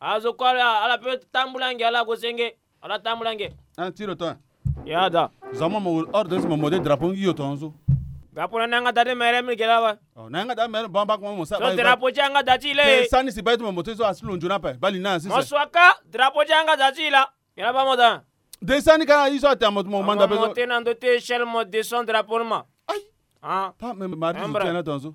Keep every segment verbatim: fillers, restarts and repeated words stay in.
Azo kue ala, ala pe tambula nge, ala gue senge. Ala tambula nge. Ah, ti lo ton. Ya da. Za mo mo ordre si mo mode drapeau ngi yo ton so. Drapeau na yanga da ti mere mi gela ba. Oh, na yanga da mere bamba ko mo sa. So drapeau ti yanga da ti le. Sani si ba ti mo mote so asi lo nzuna pe. Bali na si. Mo swaka drapeau ti yanga da ti la. Gela ba mo da. De sani ka iso ate mo manda pe so. Mo te na ndo ti échelle mo descend drapeau ma. Aïe. Ah. Ta me mari zo tiana ton so.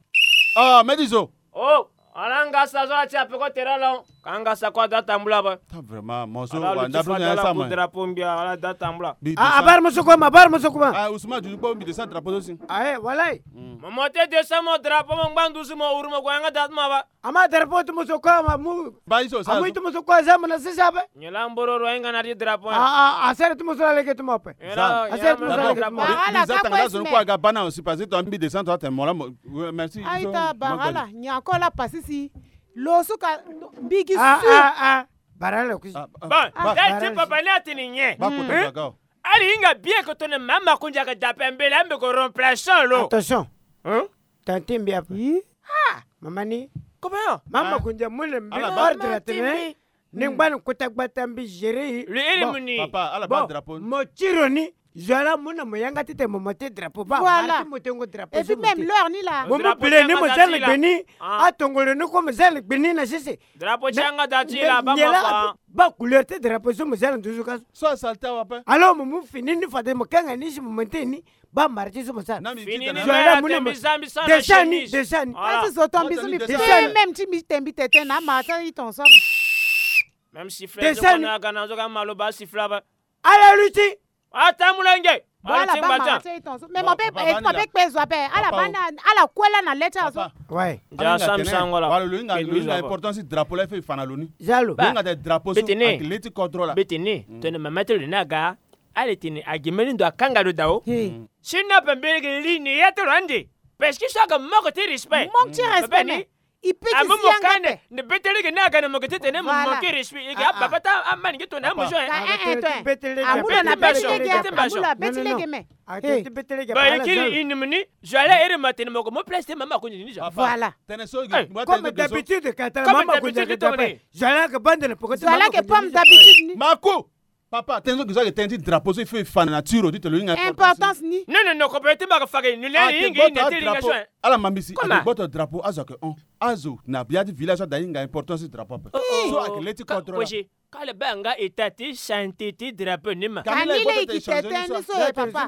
Ah, me di zo. Oh, ala nga sa zo ala ti ape ko tera la. Ka nga sa ko ada tambula ba. Ta vraiment mo so wa nda pe na sa ma. Drapeau mbia ala da tambula. Ah, abar mo so ko ma, abar mo so ko ma. Ah, Ousmane du ko mbi descend drapeau so si. Ah, eh, walay. Mo mo te descend mo drapeau mo ngbandu si mo uru mo ko yanga da ma ba. Ama drapeau ti mo so ko ama mu. Ba iso sa. Amu ti mo so ko za mo na sisa ba. Nyi la mboro ro inga na ti drapeau. Ah, ah, asere ti mo so la lege ti mo pe. Asere ti mo so la lege ti mo pe. Ala ka ko esme. Ko aga bana aussi parce que to mbi descend to ate mo la mo. Merci. Aita barala nyako la pasisi. Lo suka mbigi su. Ah, ah, ah. Barala kusi. Bon, dal ti papa ni atini nye. Ba ko ta ga. Ali hinga bien que tone mama kunja ka dape mbele ambe ko remplaçant lo. Attention. Hein? Tante mbi ape. Ah, mama ni. Comment? Mama kunja mune mbi ordre tene. Ni ngba ni kota gbata mbi gérer. Le iri muni. Papa, ala ba drapeau. Mo tiro ni. Zola muna mo yanga tite mo mote drapeau ba. Voilà. Mo tengo drapeau. Et puis même l'heure ni la. Mo mo bile ni mo zele gbeni. Atongolo ni ko mo zele gbeni na sese. Drapeau ti yanga da ti la ba ma fa. Ba couleur ti drapeau so mo zele nduzu ka. So asalta wa pe. Alors mo mu fini ni fade mo kanga ni si mo mote ni. Ba mara ti so mo sara. Fini ni mara te mbi zambi sara na chemise. Desani, desani. Kasi zo to mbi so mbi pe même ti mbi te mbi tete na mara ti ton so. Même sifflet zo ko na aga na zo ka malo ba sifflet ba. Ala luti. Atambula nge. Ala ti mba ta. Mais mo pe, mo pe kpe zo ape. Ala bana, ala kue la na le ti azo. Ouais. Ja sam sango la. Wala lo inga, lo inga importance drapeau la fe fana lo ni. Jalo. Lo inga de drapeau so. Betene. Avec le ti kodro la. Betene. Tene mama ti lo ni aga. Ale tene agi mbeni ndo akanga lo dao. Si na pe mbeni ge li ni ya ti lo ande. Parce que so aga manque ti respect. Manque ti respect ni. I pe ti zi yanga pe. Nde bete lege ni aga na mo ke ti tene mo manque respect. Ege ababa ti amani nge tongana amozo. Amu lo na bete lege amu lo na bete lege me. Ba ye kiri inimi ni. Zo ala ere ma tene mo ko mo place te mama ko ni zo. Voilà. Tene so. Comme d'habitude ka tene mama ko ni zo. Zo ala ke bande na poko te. Zo ala ke pomme d'habitude ni. Mako. Papa, tene so gizo ake tene ti drapeau so il faut e fa na nature ti tene lo hinga importance ni. Non, non, non, ko pe ti mba ka fa ke ni le ni hinga ni tene hinga so. Ala mambisi ake gboto drapeau azo ake on. Azo na bia ti village so ada hinga importance ti drapeau ape. So ake le ti contrôle. Ka le ba nga état ti santé ti drapeau ni ma. Ka ni le ki tete ni so e papa.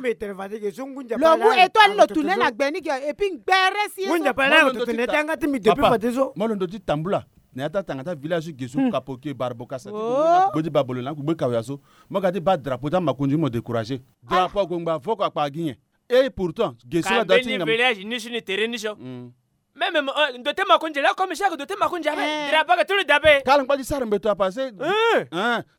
Lo mu étoile lo tune na gbe ni ge et puis ngbere si so. Ngunja pa na lo tune tanga ti mbi depuis fade so. Mo lo ndo ti tambula. Na ya ti atanga ti avillage ge so kapoke barbo kasa ti gbe ti babolo na kugbe kawia so. Mo ga ti ba drapeau ti amakonzi mo décourager. Drapeau ague ngba voko akpa gi nyen? Et pourtant ge so la da ti ngam village ni so ni tere ni so. Même ndo ti makonzi la comme chaque ndo ti makonzi ape drapeau aga ti lo dape. Kala ngba ti sara mbeto apa se.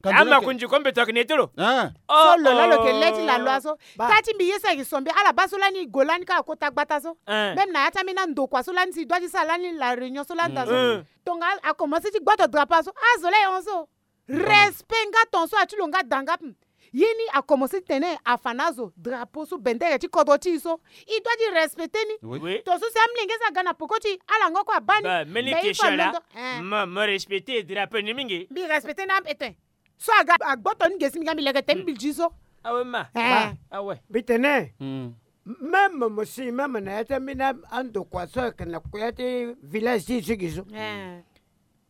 Amakonzi ko mbeto aga ni ti lo. So lo la lo ke le ti la loi so. Ta ti mbi ye so ayeke sombi ala baa so lani go lani kâ akota gbata so. Même na ya ti ambeni andokua so lani si doit ti sara lani la réunion so lani daa so. Tonga akomanse ti gboto drapeau so azo la e hon so. Respect nga ton so ati lo nga da nga pe. Ye ni akomanse ti tene afa na azo drapeau so bendere ti kodro ti e so. E doit ti respecter ni. Ton so si amolenge so aga na poko ti e ala ngo kue abaa ni. Meni question la. Mo respecter drapeau ni mingi. Mbi respecter ni ampe ten. So aga agboto ni ge si mbi ga mbi leke te mbi zi so. Awe ma. Awe. Mbi tene. Même mo si même na ya ti ambeni andokua so ayeke na kuya ti village ti e so gi so.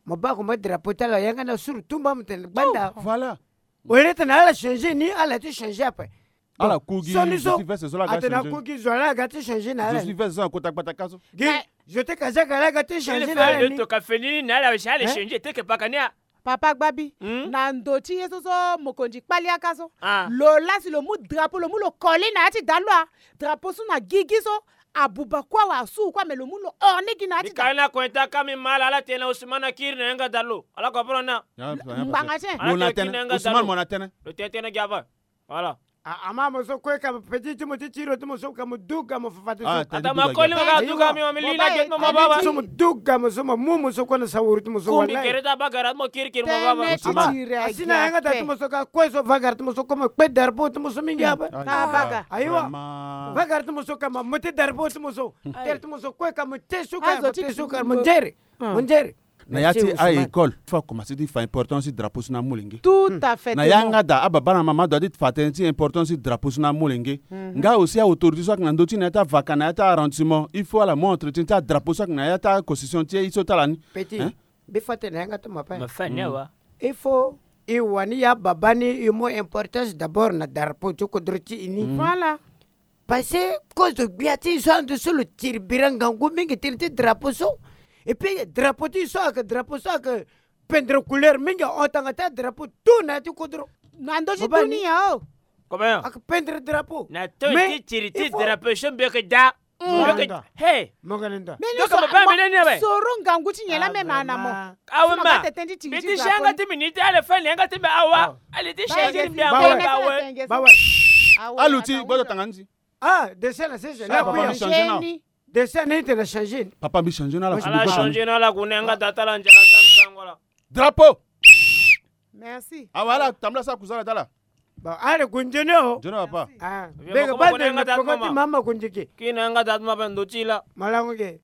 Mo baa ko mo drapeau ti ala yanga na suru tumba mo tene gbanda. Voilà. Au lieu tene ala changer ni ala ti changer ape. Ala ku gi so ni so. Atene aku gi zo ala aga ti changer na ala. Je suis veste so akota gbata ka so. Gi zo te kazaka ala aga ti changer na ala ni. To ka feni ni na ala si ala changer te ke paka ni a. Papa Gbabi, na ndo ti ye so so mokonzi kpali aka so. Lo laa si lo mu drapeau lo mu lo koli na ya ti dalo a. Drapeau so na gigi so abuba kue awe asu kue ame lo mu lo orni gi na ya ti dalo. Ni kali na kue ta ka mi ma ala ala tene na Ousmane akiri na yanga dalo ala comprendre na. Ngbanga tien. Ala tene kiri na yanga dalo. Ousmane mo na tene. Lo tene tene gi ava. Voilà. Ama mo so kue ka mo peti ti mo ti tiro ti mo so ka mo duga mo fafati so. Ata ma koli ma ka duga mi ma mi lina gbe ti mo ma baba. So mo duga mo so mo mu mo so kue na sawuru ti mo so. Kumbi gere ta bagara ti mo kirikiri mo baba. Ama asi na yanga ta ti mo so ka kue so vagara ti mo so kue mo kpe drapeau ti mo so mingi ape. Ayiwa. Vagara ti mo so ka ma mo ti drapeau ti mo so. Tere ti mo so kue ka mo te suka mo te suka mo nzere. Mo nzere. Na ya ti a-école, il faut akomanse ti fa importance ti drapeau so na amolenge. Tout à fait. Na yanga daa, ababa na mama adoit ti fa tënë ti importance ti drapeau so na amolenge. Nga aussi a-autorité so ayeke na ndö ti na ya ti avaka na ya ti arrondissement, il faut ala mu entretien ti adrapeau so ayeke na ya ti aconstitution ti e so ti ala ni. Petit, hein? Mbi fa tënë na yanga ti mapa. Ma fa ni awa. Il faut e wani ya baba ni e mu importance d'abord na drapeau ti kodro ti e ni. Voilà. Parce que kozo gbia ti e so ande so lo tiri bira ngangu mingi tënë ti drapeau so. Et puis drapeau ti e so ayeke drapeau so ayeke pendre couleur mingi, ahon tanga ti adrapeau tout na ya ti kodro. Na ndö ti dunia o. Comment? Ayeke pendre drapeau. Na to ti tiri ti drapeau so mbi yeke daa. Mbi yeke, hey. Mbi yeke baba mbi lani awe. Soro ngangu ti nyen la même na mo. Awe ma. Mbi ti si yanga ti mbi ni ti ala fa ni yanga ti mbi awa. Ali ti changer mbi awa awe. Aluti, gbota tanga nzi. Ah, dessin na sese. Papa mbi changer na. Dessin na ite na changer. Papa mbi changer na ala. Ala changer na ala kune yanga daa ti ala nzara ti ala nsango la. Drapeau. Merci. Awa ala tambula sa kuzala ti ala. Bon, ale kunzoni o. Nzoni papa. Ah, beke bande na poko ti mama kunziki. Kina yanga daa ti mama ndo ti la. Malango ke.